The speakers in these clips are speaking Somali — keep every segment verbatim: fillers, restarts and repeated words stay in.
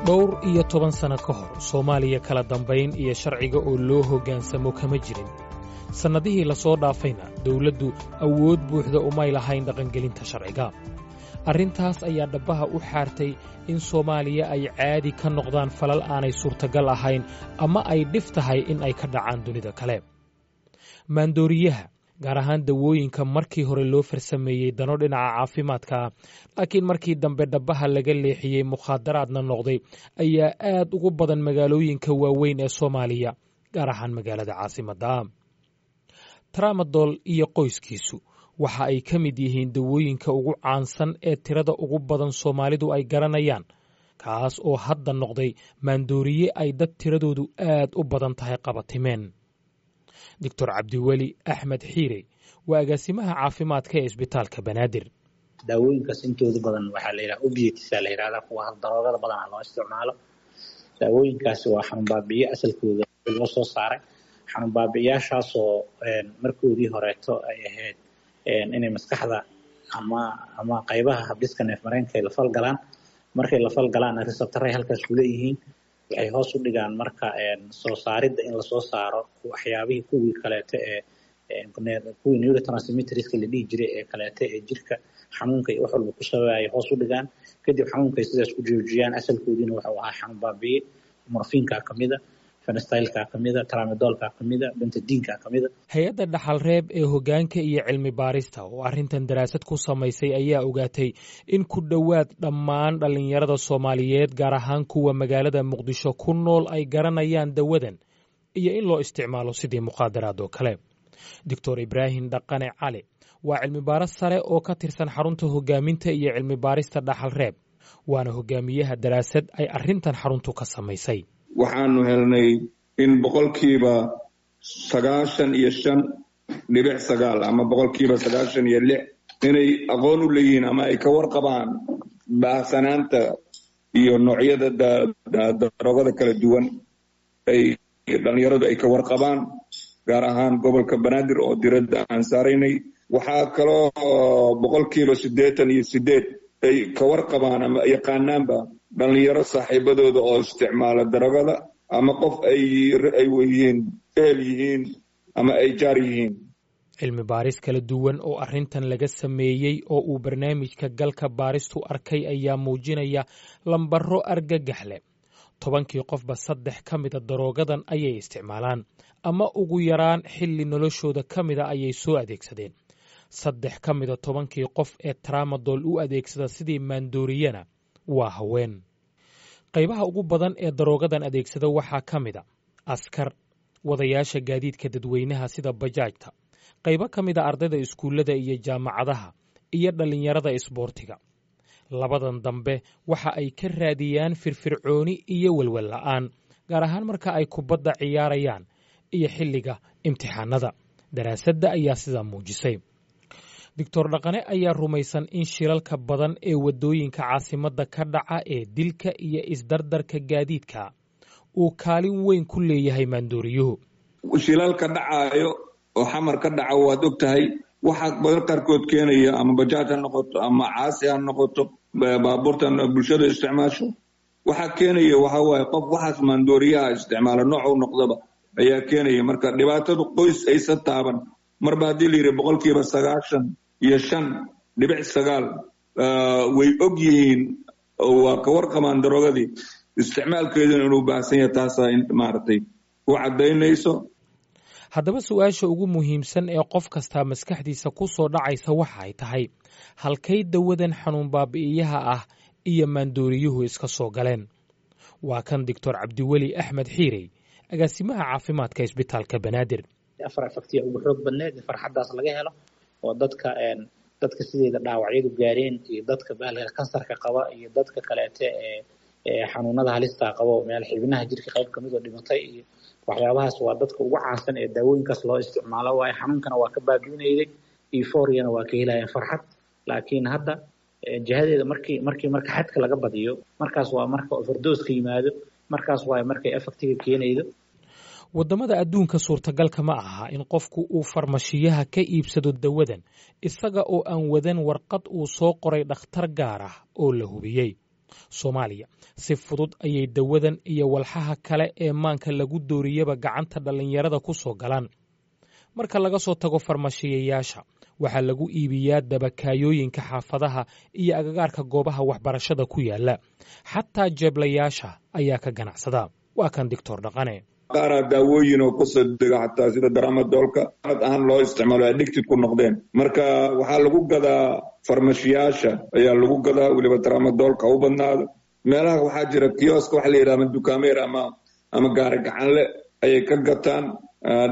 Dhowr iyo toban sano ka hor, Soomaaliya kala dambayn iyo sharciga oo loo hoggaansamo kama jirin. Sannadihii la soo dhaafayna dawladdu awood buuxda umay lahayn dhaqangelinta sharciga. Arrintaas ayaa dhabbaha u xaartay in Soomaaliya ay caadi ka noqdaan falal aanay suurtagal ahayn ama ay dhif tahay in ay ka dhacaan dunida kale. Maandooriyaha, gaar ahaan dawooyinka markii hore loo farsameeyey dano dhinaca caafimaadka, laakiin markii dambe dhabbaha laga leexiyey mukhaadaraadna noqday, ayaa aad ugu badan magaalooyinka waaweyn ee Soomaaliya, gaar ahaan magaalada caasimadda. Tramadol iyo qoyskiisu waxa ay ka mid yihiin dawooyinka ugu caansan ee tirada ugu badan Soomaalidu ay garanayaan, kaas oo hadda noqday maandooriye ay dad tiradoodu aad u badan tahay qabatimeen. Doctor Cabdiweli Axmed Xiire waa agaasimaha caafimaadka ee Isbitaalka Banaadir. Daawooyinkaas intooda badan waxaa la yidhaha opiates la yidhahdaa, kuwa daroogada badanaa loo isticmaalo. Daawooyinkaasi waa xanuun baabi'iye asalkooda loo soo saaray, xanuun baabi'iyaashaasoo markoodii horeeto ay ahayd inay maskaxda ama ama qaybaha habdhiska neef mareenka ay la falgalaan. Markay la falgalaanna receptor-ay halkaas ku leeyihiin, waxay hoos u dhigaan marka soo saaridda in lasoo saaro waxyaabihii kuwii kaleeto ee kuwii neurotransmitterska la dhihi jiray ee kaleeto ee jirka xanuunka iyo wax walba ku sababaya hoos u dhigaan. Kadib xanuunkay sidaas ku joojiyaan. Asalkoodiina wuxuu ahaa xanuun baabi'iye. Morphineka kamida, fentanyl-ka kamida, tramadolka kamida, pethidine-ka kamida. Hay-adda Dhaxalreeb ee hoggaanka iyo cilmi baarista oo arrintan daraasad ku samaysay ayaa ogaatay in ku dhowaad dhammaan dhallinyarada Soomaaliyeed, gaar ahaan kuwa magaalada Muqdisho ku nool, ay garanayaan dawadan iyo in loo isticmaalo sidii mukhaadaraad oo kale. Doctor Ibraahim Dhaqane Cali waa cilmi baaris sare oo ka tirsan xarunta hogaaminta iyo cilmi baarista Dhaxalreeb, waana hogaamiyaha daraasad ay arrintan xaruntu ka samaysay. Waxaanu helnay in boqolkiiba sagaashan iyo shan dhibic sagaal ama boqolkiiba sagaashan iyo lix inay aqoon u leeyihiin ama ay ka warqabaan baahsanaanta iyo noocyada daroogada kala duwan ay dhalinyaradu ay ka warqabaan, gaar ahaan gobolka Banaadir oo diradda aan saaraynay. Waxaa kaloo boqolkiiba siddeetan iyo sideed ay ka warqabaan ama yaqaanaanba dhalinyaro saaxiibadooda oo isticmaala daroogada ama qof ay ay yihiin, ehel yihiin ama ay jaar yihiin. Cilmi baaris kala duwan oo arrintan laga sameeyey oo uu barnaamijka Galka Baaristu arkay ayaa muujinaya lambaro argagax leh. Tobankii qofba saddex ka mida daroogadan ayay isticmaalaan ama ugu yaraan xilli noloshooda ka mida ayay soo adeegsadeen. Saddex ka mida tobankii qof ee tramadol u adeegsada sidii maandooriyana waa haween. Qaybaha ugu badan ee daroogadan adeegsada waxaa ka mida askar, wadayaasha gaadiidka dadweynaha sida bajaajta, qaybo ka mida ardayda iskuullada iyo jaamacadaha iyo dhallinyarada isboortiga. Labadan dambe waxa ay ka raadiyaan firfircooni iyo welwel la'aan, gaar ahaan marka ay kubadda ciyaarayaan iyo xilliga imtixaanada. Daraasadda ayaa sidaa muujisay. Doctor Dhaqane ayaa rumaysan in shilalka badan ee waddooyinka caasimadda ka dhaca ee dilka iyo isdardarka gaadiidka uu kaalin weyn ku leeyahay maandooriyuhu. Shilalka dhacaayo oo Xamar ka dhaca waad og tahay, waxaa badan qaarkood keenaya ama bajaaj ha noqoto ama caasi ha noqoto, baabuurtan bulshada isticmaasho, waxaa keenaya waxa waaye qof waxaas maandooriyaha isticmaala noocuu noqdaba ayaa keenaya. Marka dhibaatadu qoys aysan taaban marba haddii la yidhi boqolkiiba sagaashan iyo shan dhibic sagaal way og yihiin oo waa ka warqabaan daroogadii, isticmaalkeeduna inuu baahsan yahay, taasaa maaragtay u caddaynayso. Haddaba su-aasha ugu muhiimsan ee qof kastaa maskaxdiisa ku soo dhacaysa waxa ay tahay: halkay dawadan xanuun baabi'iyaha ah iyo maandooriyuhu iska soo galeen? Waa kan Doctor Cabdiweli Axmed Xiirey, agaasimaha caafimaadka Isbitaalka Banaadir. Afar effect-iya ugu xoog badneed in farxaddaas laga helo oo dadka dadka sideeda dhaawacyadu gaareen iyo dadka bahalka kansarka qaba iyo dadka kaleete ee ee xanuunada halista qaba oo meel xibnaha jirka qayb kamid oo dhimatay iyo waxyaabahaas, waa dadka ugu caansan ee daawooyinkaas loo isticmaalo waayo xanuunkana waa ka baabi'inayday, euphoria-na waa ka helayaan, farxad. Laakiin hadda jihadeeda markii markii marka xadka laga badiyo, markaas waa marka overdose-ka yimaado, markaas waayo markay effect-iga keenaydo. Waddamada adduunka suurtagalka ma aha in qofku uu farmashiyaha ka iibsado dawadan isaga oo aan wadan warqad uu soo qoray dhakhtar gaar ah oo la hubiyey. Soomaaliya si fudud ayay dawadan iyo walxaha kale ee maanka lagu dooriyaba gacanta dhallinyarada ku soo galaan. Marka laga soo tago farmashiyayaasha, waxaa lagu iibiyaa dabakaayooyinka xaafadaha iyo agagaarka goobaha waxbarashada ku yaala. Xataa jeeblayaasha ayaa ka ganacsada. Waa kan Doctor Dhaqane. Qaaraa daawooyin oo kusoo dega xataa sida daramadoolka ad ahaan loo isticmaalo, addicted ku noqdeen. Marka waxaa lagu gadaa farmashiyaasha ayaa lagu gadaa, weliba daramadoolka u badnaado. Meelaha waxaa jira kioska waxa la yidhaha ama dukaameer ama ama gaari gacanle ayay ka gataan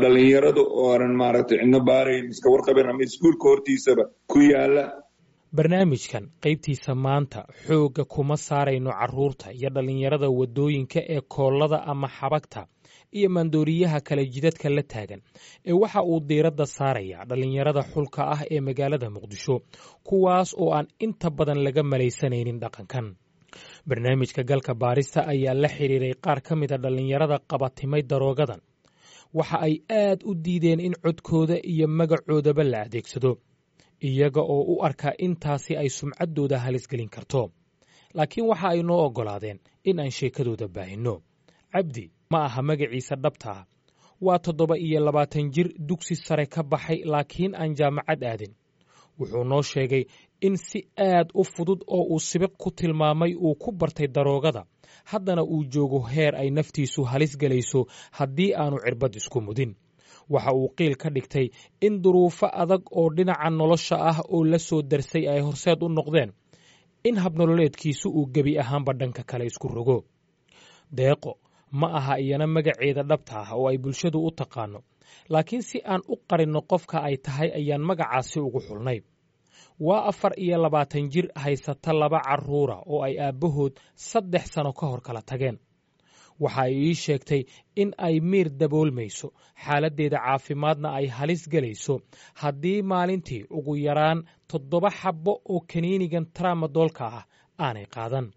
dhalinyaradu oo aanan maaragtay cidno baarayn, iska warqabeen, ama iskuulka hortiisaba ku yaala. Barnaamijkan qaybtiisa maanta xoogga kuma saarayno carruurta iyo dhallinyarada waddooyinka ee koollada ama xabagta iyo maandooriyaha kale jidadka la taagan, ee waxa uu diiradda saarayaa dhallinyarada xulka ah ee magaalada Muqdisho, kuwaas oo aan inta badan laga malaysanaynin dhaqankan. Barnaamijka Galka Baarista ayaa la xiriiray qaar ka mida dhallinyarada qabatimay daroogadan. Waxa ay aad u diideen in codkooda iyo magacoodaba la adeegsado, iyaga oo u arkaa intaasi ay sumcaddooda halisgelin karto, laakiin waxa ay noo oggolaadeen in aan sheekadooda baahinno. Cabdi ma aha magaciisa dhabta ah. Waa toddoba iyo labaatan jir dugsi sare ka baxay laakiin aan jaamacad aadin. Wuxuu noo sheegay in si aad u fudud oo uu sibiq ku tilmaamay uu ku bartay daroogada, haddana uu joogo heer ay naftiisu halis gelayso haddii aanu cirbad isku mudin. Waxa uu qiil ka dhigtay in duruufo adag oo dhinaca nolosha ah oo la soo darsay ay horseed u noqdeen in habnololeedkiisu uu gebi ahaanba dhanka kale isku rogo. Deeqo ma aha iyana magaceeda dhabta ah oo ay bulshadu u taqaano, laakiin si aan u qarinno qofka ay tahay ayaan magacaasi ugu xulnay. Waa afar iyo labaatan jir haysata laba carruura oo ay aabbahood saddex sano ka hor kala tageen. Waxa ay ii sheegtay in ay miir daboolmayso, xaaladdeeda caafimaadna ay halis gelayso haddii maalintii ugu yaraan toddoba xabbo oo kaniinigan tramadoolka ah aanay qaadan.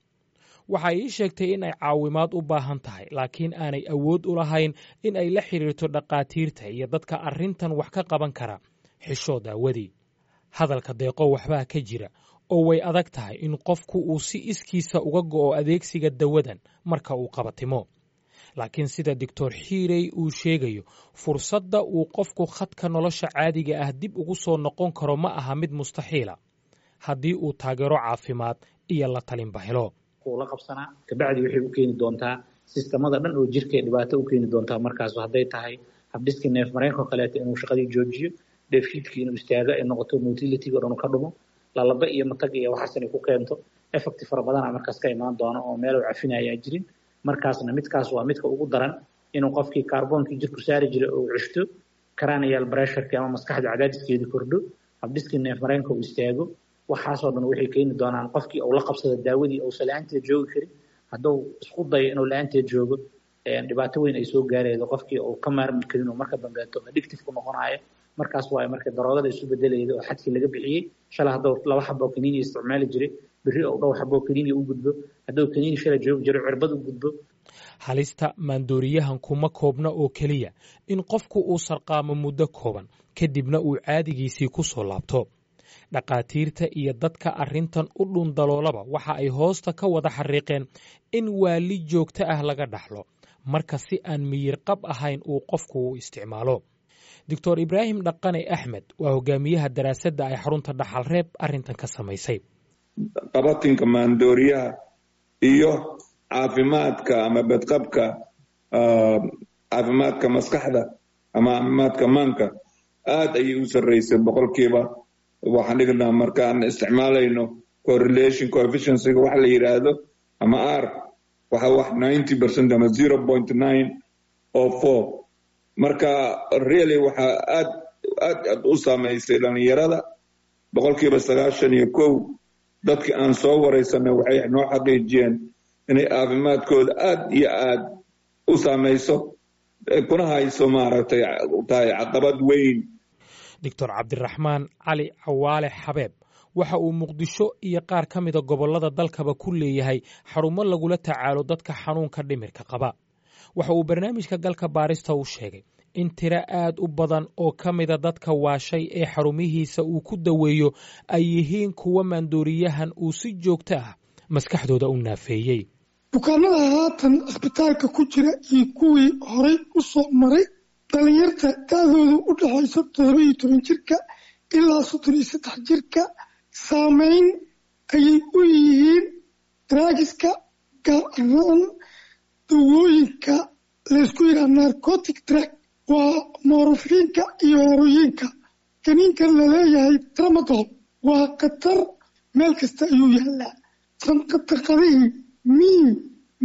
Waxa ay ii sheegtay in ay caawimaad u baahan tahay, laakiin aanay awood u lahayn in ay la xidhiirto dhakhaatiirta iyo dadka arrintan wax ka qaban kara, xishood aawadii. Hadalka Deeqo waxbaa ka jira, oo way adag tahay in qofku uu si iskiisa uga go'o adeegsiga dawadan marka uu qabatimo, laakiin sida Doctor Xiirey uu sheegayo, fursadda uu qofku khadka nolosha caadiga ah dib ugu soo noqon karo ma aha mid mustaxiila haddii uu taageero caafimaad iyo la talinba helo. La qabsanaa kabacdi waxay u keeni doontaa sistamada dhan oo jirka dhibaato u keeni doontaa. Markaas hadday tahay habdhiska neef mareenka kaleeto inuu shaqadii joojiyo, dheefshiidkii inuu istaago ay noqoto, motility o dhan ka dhumo, lalaba iyo matag iyo waxaas inay ku keento, effect fara badana markaas ka imaan doono oo meel uu cafinayaa jirin. Markaasna midkaas waa midka ugu daran, inuu qofkii kaarboonkii jirku saari jiray oo ceshto, cranial pressureki ama maskaxda cadaadiskeedii kordho, habdhiskii neef mareenka uu istaago. Waxaasoo dhan waxay keeni doonaan qofkii uu la qabsado daawadii uusan la-aanteed joogi karin. Hadduu isku dayo inuu la-aanteed joogo, dhibaato weyn ay soo gaaraydo, qofkii uu ka maarmi karin oo marka dambeeto addictive ku noqonayo. Markaas waayo marka daroogada isu bedelayda oo xadkii laga bixiyey. Shalay hadduu laba xabo kaniini isticmaali jiray, berri oo dhowr xabo kaniini u gudbo. Hadduu kaniini shalay joogi jiray, cirbad u gudbo. Halista maandooriyahan kuma koobna oo keliya in qofku uu sarqaamo muddo kooban kadibna uu caadigiisii ku soo laabto. Dhakhaatiirta iyo dadka arrintan u dhundaloolaba waxa ay hoosta ka wada xariiqeen in waali joogto ah laga dhaxlo marka si aan miyir qab ahayn uu qofku u isticmaalo. Doctor Ibraahim Dhaqane Axmed waa hogaamiyaha daraasadda ay xarunta Dhaxalreeb arrintan ka samaysay. Qabatinka maandooriyaha iyo caafimaadka ama badqabka caafimaadka maskaxda ama caafimaadka maanka aad ayay u sarreysay boqolkiiba. Waxaan dhignaa markaan isticmaalayno correlation coefficiencyga waxa la yidhaahdo ama r, waxa wax ninety percent ama zero point nine o four. Marka really waxaa aad aad aad u saameysay dhalinyarada. Boqolkiiba sagaashan iyo kow dadkii aan soo wareysanay waxay noo xaqiijiyeen inay caafimaadkooda aad iyo aad u saameyso, kuna hayso maaragtay tahay caqabad weyn. Doctor Cabdiraxmaan Cali Cawaale Xabeeb waxa uu Muqdisho iyo qaar ka mida gobollada dalkaba ku leeyahay xarumo lagula tacaalo dadka xanuunka dhimirka qaba. Waxa uu barnaamijka Galka Baarista u sheegay in tiro aad u badan oo ka mida dadka waashay ee xarumihiisa uu ku daweeyo ay yihiin kuwa maandooriyahan uu si joogto ah maskaxdooda u naafeeyey. Bukaanada haatan isbitaalka ku jira iyo kuwii horay u soo maray, dhallinyarta da-doodu u dhexayso toddoba iyo toban jirka ilaa soddon iyo saddex jirka, saameyn ayay u yihiin drugs-ka, gaar ahaan dawooyinka laysku yidhaha narcotic drug, waa morphine-ka iyo heroin-ka. Kaniinkan laleeyahay tramadol waa khatar, meel kasta ayuu yaalaa, sanqadaqadihii, miin,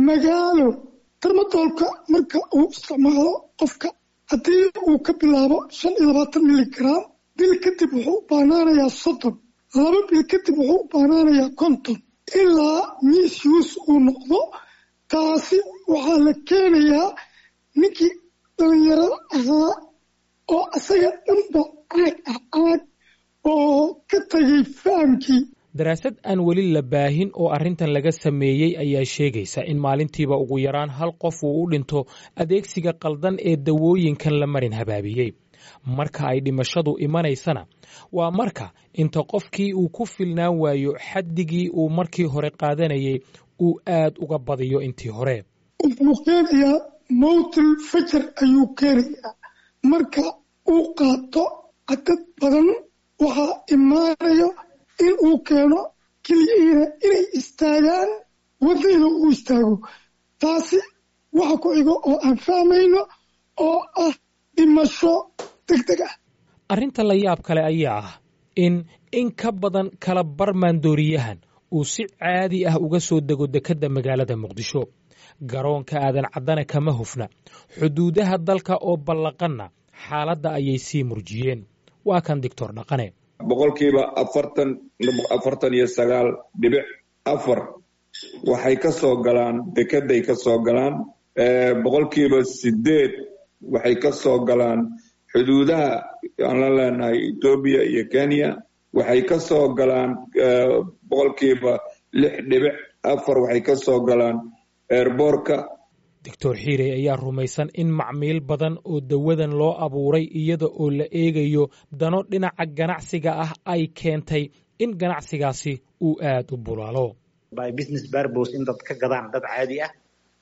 magaalo. Tramadolka marka uu isticmaalo qofka, haddii uu ka bilaabo shan iyo labaatan miligram, bil kadib wuxuu u baanaanayaa soddon, laba bil kadib wuxuu u baanaanayaa konton, ilaa misuse uu noqdo. Taasi waxaa la keenayaa ninkii dhalinyarada ahaa oo asaga dhanba caag ah, caag oo ka tagay fahamkii. Daraasad aan weli la baahin oo arrintan laga sameeyey ayaa sheegaysa in maalintiiba ugu yaraan hal qof uu u dhinto adeegsiga qaldan ee dawooyinkan la marin habaabiyey. Marka ay dhimashadu imanaysana waa marka inta qofkii uu ku filnaan waayo xaddigii uu markii hore qaadanayay, uu aad uga badiyo intii hore. Wuxuu keenayaa mowtul fajar ayuu keenayaa. Marka uu qaato cadad badan, waxaa imaanayo in uu keeno keliyihiina inay istaagaan, wadniina uu istaago. Taasi waxa ku xigo oo aan fahmayno oo ah dhimasho deg deg ah. Arrinta la yaab kale ayaa ah in in ka badan kala bar maandooriyahan uu si caadi ah uga soo dego dekedda magaalada Muqdisho. Garoonka Aadan Caddana kama hufna. Xuduudaha dalka oo ballaqanna xaaladda ayay sii murjiyeen. Waa kan Doctor Dhaqane. Boqolkiiba afartan, afartan iyo sagaal dhibic afar waxay ka soo galaan dekeday ka soo galaan, boqolkiiba sideed waxay ka soo galaan xuduudaha aan la leenahay Etoobiya iyo Kenya, waxay ka soo galaan boqolkiiba lix dhibic afar waxay ka soo galaan airport-ka. Doctor Xiirey ayaa rumaysan in macmiil badan oo dawadan loo abuuray iyada oo la eegayo dano dhinaca ganacsiga ah ay keentay in ganacsigaasi uu aad u bulaalo. By business purpose, in dad ka gadaan dad caadi ah,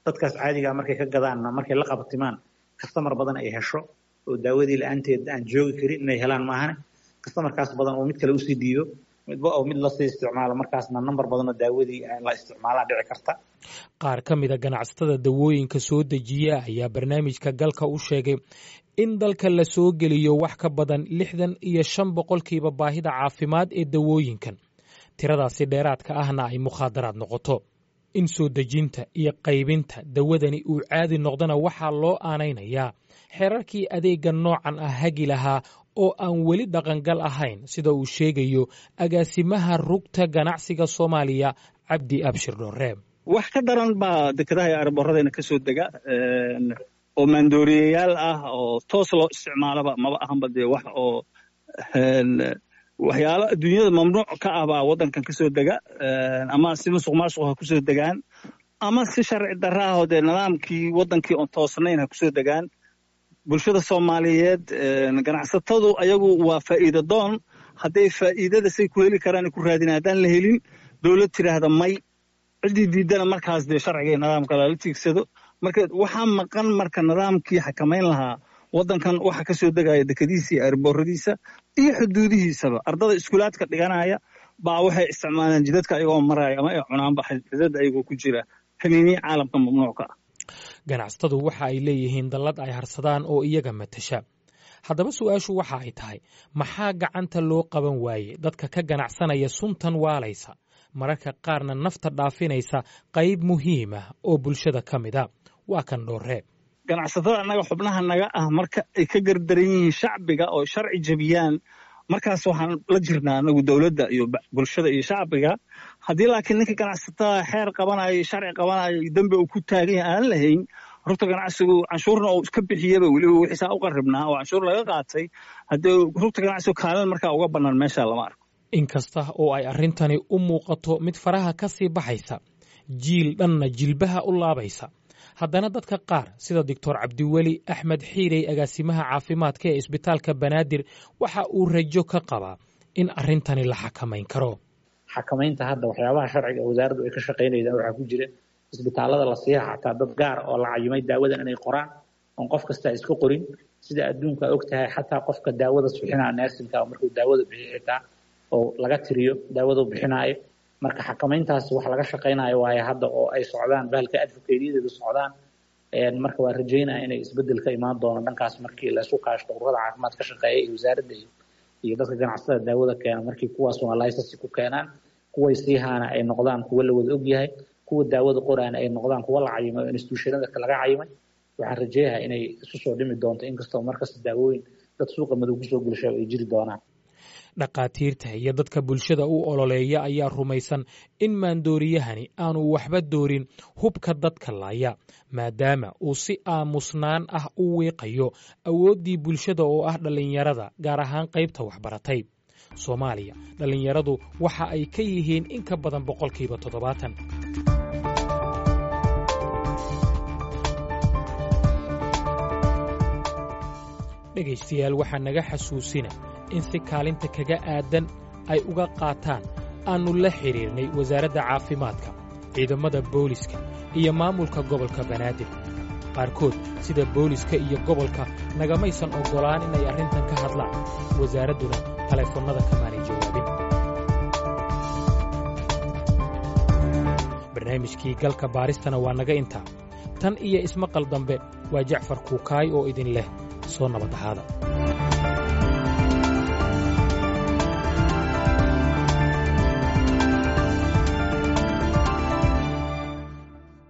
dadkaas caadiga ah markay ka gadaanna, markay la qabtimaan, customer badan ay hesho oo daawadii la-aanteed aan joogi karin inay helaan maahane, customerkaas badan oo mid kale usii dhiibo, midba oo mid lasii isticmaalo, markaasna number badan oo daawadii la isticmaalaa dhici karta. Qaar ka mida ganacsatada dawooyinka soo dejiya ayaa barnaamijka Galka u sheegay in dalka la soo geliyo wax ka badan lixdan iyo shan boqolkiiba baahida caafimaad ee dawooyinkan, tiradaasi dheeraadka ahna ay mukhaadaraad noqoto. In soo dejinta iyo qaybinta dawadani uu caadi noqdona waxaa loo aanaynayaa xeerarkii adeegga noocan ah hagi lahaa oo aan weli dhaqangal ahayn, sida uu sheegayo agaasimaha Rugta Ganacsiga Soomaaliya, Cabdi Abshir Dhoore. Wax ka daran baa dekedaha iyo airport-adayna ka soo dega oo maandooriyayaal ah oo toos loo isticmaalaba. Maba ahanba dee wax oo waxyaalo adduunyada mamnuuc ka ah baa waddankan ka soo dega, ama si musuq maasuq ha kusoo degaan ama si sharci darra ah oo dee nidaamkii waddankii oon toosnayn ha kusoo degaan. Bulshada Soomaaliyeed, ganacsatadu ayagu waa faa'iido doon. Hadday faa'iidada say ku heli karaan ku raadina, haddaan la helin dowlad tidhaahda may, ciddii diidana markaas dee sharciga iyo nidaamka lala tiigsado. Marka waxaa maqan marka nidaamkii xakamayn lahaa waddankan waxa ka soo degaya dekadiisa iyo airport-adiisa iyo xuduudihiisaba. Ardada iskuulaadka dhiganaya baa waxay isticmaalaan jidadka ayagoo maraya ama ay cunaanba xidada ayagoo ku jira kaniiniya caalamka mamnuuc ka ah. Ganacsatadu waxa ay leeyihiin dallad ay harsadaan oo iyaga matasha. Haddaba su-aashu waxa ay tahay, maxaa gacanta loo qaban waaye dadka ka ganacsanaya suntan waalaysa, mararka qaarna nafta dhaafinaysa qayb muhiim ah oo bulshada ka mid a? Waa kan Dhooree. Ganacsatada annaga xubnaha naga ah, marka ay ka gardaran yihiin shacbiga oo sharci jebiyaan, markaas waxaan la jirnaa anagu dowladda iyo bulshada iyo shacbiga. Haddii laakiin ninka ganacsatada xeer qabanayo iyo sharci qabanayo iyo dembi uu ku taagan yahay aan lahayn, Rugta Ganacsigu canshuurna uu iska bixiyaba, weliba wixiisaa u qarribnaa oo canshuur laga qaatay, haddii Rugta Ganacsigu kaalin markaa uga bannaan meesha lama arko. Inkasta oo ay arrintani u muuqato mid faraha ka sii baxaysa, jiil dhanna jilbaha u laabaysa, haddana dadka qaar sida Doctor Cabdiweli Axmed Xiirey, agaasimaha caafimaadka ee Isbitaalka Banaadir, waxa uu rajo ka qabaa in arrintani la xakamayn karo. Xakamaynta hadda waxyaabaha sharciga wasaaraddu ay ka shaqaynayda waxaa ku jira isbitaalada la siiha xataa dad gaar oo la cayimay daawadan inay qoraan oon qof kasta iska qorin. Sida adduunka og tahay, xataa qofka daawada bixinaa, nursing-ka, markuu daawada bixiyo xitaa oo laga tiriyo daawadu bixinaayo. Marka xakamayntaas wax laga shaqaynayo waaye hadda oo ay socdaan bahalka advocate-yadeedu socdaan. Marka waa rajaynaya inay isbedel ka imaan doono dhankaas markii la isu kaashto ururada caafimaad ka shaqeeya iyo wasaaradda iyo dadka ganacsatada daawada keena. Markii kuwaas waa license ku keenaan, kuway siihaana ay noqdaan kuwa la wada ogyahay, kuwa daawada qoraana ay noqdaan kuwa la cayimay oo institution-ada laga cayimay, waxaan rajeeyahaa inay isu soo dhimi doonto, inkastoo markasta daawooyin dad suuqa madow kusoo gelsha ay jiri doonaan. Dhakhaatiirta iyo dadka bulshada u ololeeya ayaa rumaysan in maandooriyahani aanu waxba doorin hubka dadka laaya, maadaama uu si aamusnaan ah u wiiqayo awooddii bulshada oo ah dhallinyarada, gaar ahaan qaybta waxbaratay. Soomaaliya dhallinyaradu waxa ay ka yihiin in ka badan boqolkiiba toddobaatan. Dhegaystayaal, waxaa naga xasuusina in si kaalinta kaga aadan ay uga qaataan aannu la xidhiirnay wasaaradda caafimaadka, ciidamada booliska iyo maamulka gobolka Banaadir. Qaarkood sida booliska iyo gobolka nagamaysan oggolaan inay arrintan ka hadlaan, wasaaradduna taleefannada kamaanay jawaabin. Barnaamijkii galka baaristana waa naga intaa. Tan iyo ismaqal dambe, waa Jacfar Kuukaay oo idin leh soo nabad ahaada.